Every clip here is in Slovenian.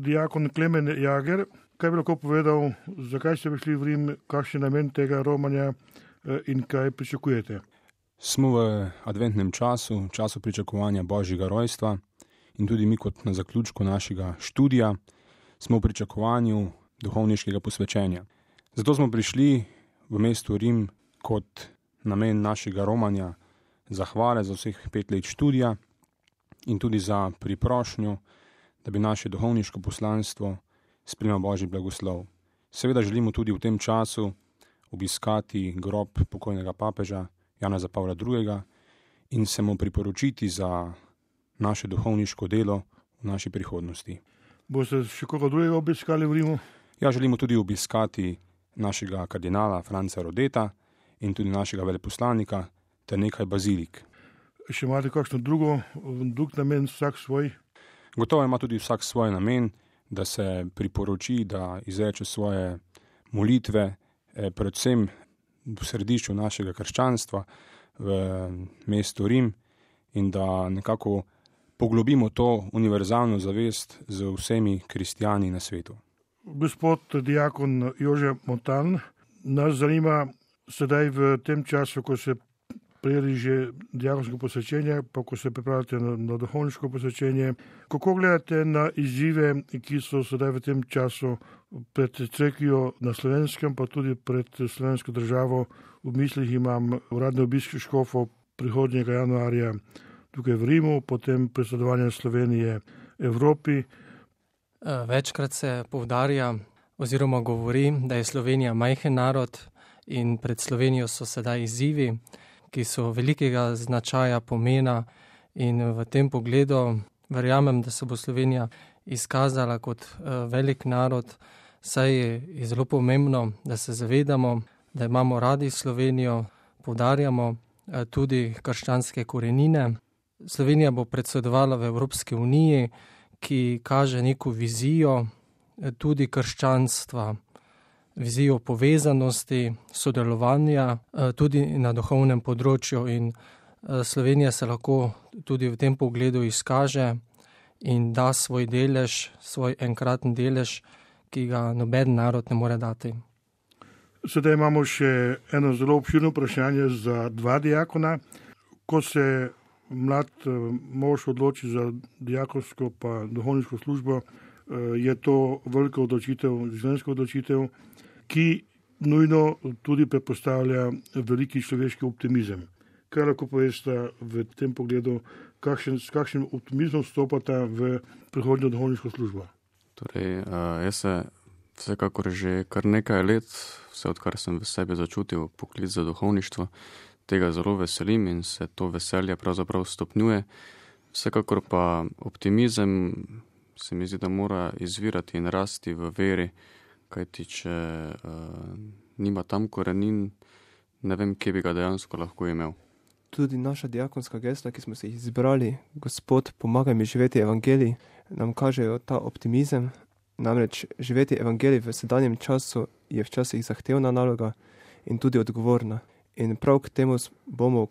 diakon Klemen Jager, kaj bi lahko povedal, zakaj ste prišli v Rim, kakšen je namen tega romanja in kaj pričakujete? Smo v adventnem času pričakovanja Božjega rojstva in tudi mi kot na zaključku našega študija smo v pričakovanju duhovniškega posvečenja. Zato smo prišli v mesto Rim kot namen našega romanja zahvale za vseh 5 let študija in tudi za priprošnjo, da bi naše duhovniško poslanstvo sprejelo Božji blagoslov. Seveda želimo tudi v tem času obiskati grob pokojnega papeža Janeza Pavla II. In se mu priporočiti za naše duhovniško delo v naši prihodnosti. Boste še koga drugega obiskali v Rimu? Ja, želimo tudi obiskati našega kardinala Franca Rodeta in tudi našega veleposlanika ter nekaj bazilik. Še imate kakšno drug namen, vsak svoj? Gotovo ima tudi vsak svoj namen, da se priporoči, da izreče svoje molitve, predvsem v središču našega krščanstva v mestu Rim in da nekako poglobimo to univerzalno zavest z vsemi kristijani na svetu. Gospod diakon Jože Montan, nas zanima sedaj v tem času, ko se prijeli že diakonsko posvečenje, pa ko se pripravljate na duhovniško posvečenje, kako gledate na izzive, ki so sedaj v tem času pred cerkvijo na Slovenskem, pa tudi pred slovensko državo. V mislih imam uradne obiske škofov prihodnjega januarja tukaj v Rimu, potem predsedovanje Slovenije Evropi. Večkrat se poudarja oziroma govori, da je Slovenija majhen narod in pred Slovenijo so sedaj izzivi, ki so velikega značaja, pomena, in v tem pogledu verjamem, da se bo Slovenija izkazala kot velik narod, saj je zelo pomembno, da se zavedamo, da imamo radi Slovenijo, poudarjamo tudi krščanske korenine. Slovenija bo predsedovala v Evropski uniji, ki kaže neko vizijo tudi krščanstva, vizijo povezanosti, sodelovanja tudi na duhovnem področju, in Slovenija se lahko tudi v tem pogledu izkaže in da svoj delež, svoj enkraten delež, ki ga noben narod ne more dati. Sedaj imamo še eno zelo obširno vprašanje za 2 diakona. Ko se mlad mož odloči za diakonsko pa duhovniško službo, je to velika odločitev, življenjska odločitev, ki nujno tudi predpostavlja veliki človeški optimizem. Kaj lahko poveste v tem pogledu, s kakšnim optimizmom vstopata v prihodnjo duhovniško službo? Torej, jaz se vsekakor že kar nekaj let, vse odkar sem v sebi začutil poklic za duhovništvo, tega zelo veselim in se to veselje pravzaprav stopnjuje. Vsekakor pa optimizem se mi zdi, da mora izvirati in rasti v veri, kajti če nima tam korenin, ne vem, kje bi ga dejansko lahko imel. Tudi naša diakonska gesla, ki smo se jih izbrali, Gospod, pomagaj mi živeti evangelij, nam kažejo ta optimizem. Namreč živeti evangelij v sedanjem času je včasih zahtevna naloga in tudi odgovorna. In prav k temu bomo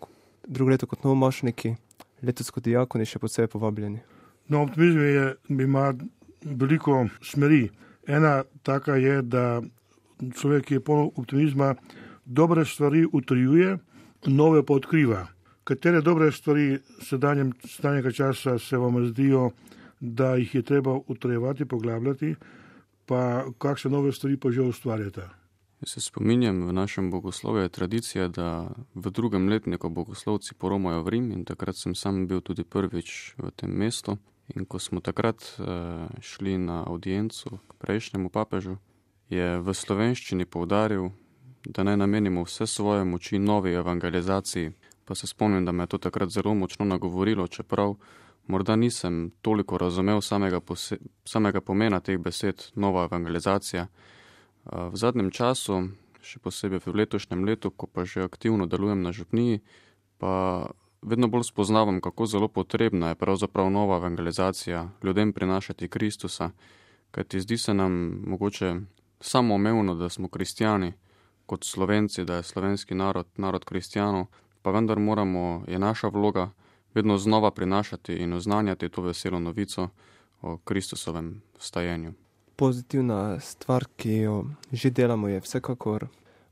drugo leto kot novomašniki, letos kot diakoni še posebej povabljeni. No, optimizem ima veliko smeri. Ena taka je, da človek, ki je poln optimizma, dobre stvari utrjuje, nove pa odkriva. Katere dobre stvari sedanjega časa se vam zdijo, da jih je treba utrjevati, poglabljati, pa kakšne nove stvari pa že ustvarjate? Jaz se spominjam, v našem bogoslovju je tradicija, da v 2. letniku bogoslovci poromajo v Rim, in takrat sem sam bil tudi prvič v tem mestu. In ko smo takrat šli na audiencu k prejšnjemu papežu, je v slovenščini poudaril, da naj namenimo vse svoje moči novi evangelizaciji. Pa se spomnim, da me je to takrat zelo močno nagovorilo, čeprav morda nisem toliko razumel samega pomena teh besed, nova evangelizacija. V zadnjem času, še posebej v letošnjem letu, ko pa že aktivno delujem na župniji, pa vedno bolj spoznavam, kako zelo potrebna je pravzaprav nova evangelizacija, ljudem prinašati Kristusa, kajti zdi se nam mogoče samoumevno, da smo kristjani, kot Slovenci, da je slovenski narod kristjanov, pa vendar je naša vloga vedno znova prinašati in oznanjati to veselo novico o Kristusovem vstajenju. Pozitivna stvar, ki jo že delamo, je vsekakor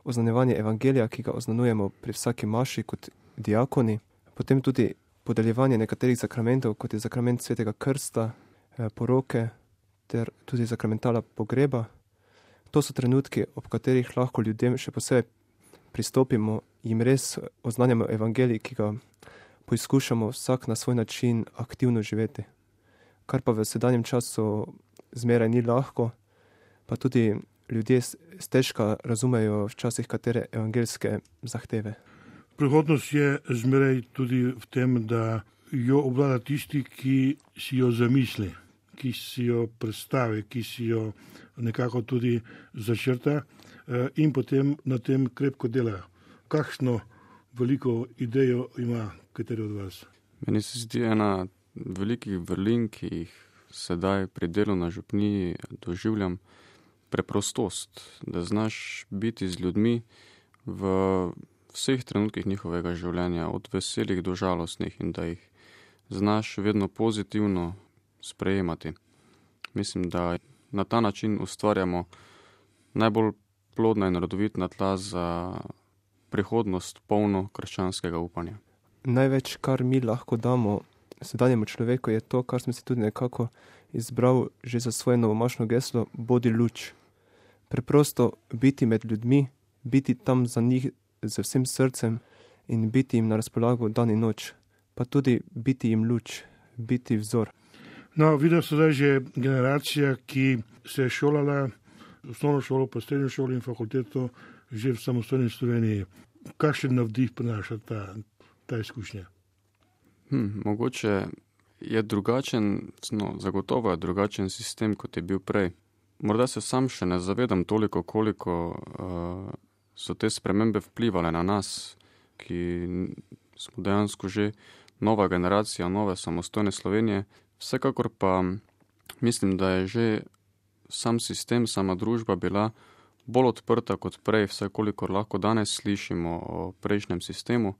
oznanjevanje evangelija, ki ga oznanujemo pri vsaki maši kot diakoni, potem tudi podeljevanje nekaterih sakramentov, kot je sakrament svetega krsta, poroke ter tudi sakramentala pogreba. To so trenutki, ob katerih lahko ljudem še posebej pristopimo, jim res oznanjamo evangelij, ki ga poizkušamo vsak na svoj način aktivno živeti. Kar pa v sedanjem času zmeraj ni lahko, pa tudi ljudje stežka razumejo včasih katere evangeljske zahteve. Prihodnost je zmeraj tudi v tem, da jo obvlada tisti, ki si jo zamisli, ki si jo predstavi, ki si jo nekako tudi začrta in potem na tem krepko dela. Kakšno veliko idejo ima kateri od vas? Meni se zdi ena velikih vrlin, ki jih sedaj pri delu na župniji doživljam, preprostost, da znaš biti z ljudmi v vseh trenutkih njihovega življenja, od veselih do žalostnih, in da jih znaš vedno pozitivno sprejemati. Mislim, da na ta način ustvarjamo najbolj plodna in rodovitna tla za prihodnost polno krščanskega upanja. Največ, kar mi lahko damo sedanjemu človeku, je to, kar sem si tudi nekako izbral že za svoje novomašno geslo, bodi luč. Preprosto biti med ljudmi, biti tam za njih z vsem srcem in biti jim na razpolago dan in noč, pa tudi biti jim luč, biti vzor. No, vidim sedaj že generacija, ki se je šolala osnovno šolo, pa srednjo šolo in fakulteto že v samostojni Sloveniji. Kakšen navdih prinaša ta izkušnja? Mogoče je drugačen, zagotovo je drugačen sistem, kot je bil prej. Morda se sam še ne zavedam toliko, koliko so te spremembe vplivale na nas, ki smo dejansko že nova generacija, nove samostojne Slovenije. Vsekakor pa mislim, da je že sam sistem, sama družba bila bolj odprta kot prej, vsaj kolikor lahko danes slišimo o prejšnjem sistemu,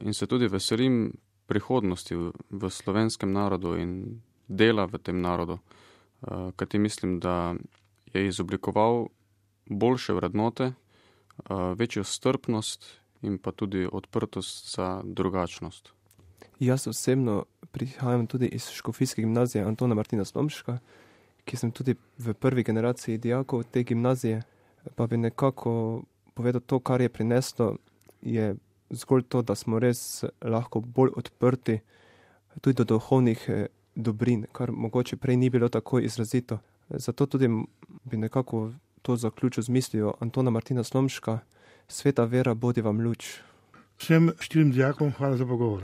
in se tudi veselim prihodnosti v slovenskem narodu in dela v tem narodu, kajti mislim, da je izoblikoval boljše vrednote, večjo strpnost in pa tudi odprtost za drugačnost. Jaz osebno prihajam tudi iz škofijske gimnazije Antona Martina Slomška, ki sem tudi v prvi generaciji dijakov te gimnazije, pa bi nekako povedal to, kar je prineslo, je zgolj to, da smo res lahko bolj odprti tudi do duhovnih dobrin, kar mogoče prej ni bilo tako izrazito. Zato tudi bi nekako to zaključil z mislijo Antona Martina Slomška: sveta vera bodi vam luč. Vsem 4 dijakom hvala za pogovor.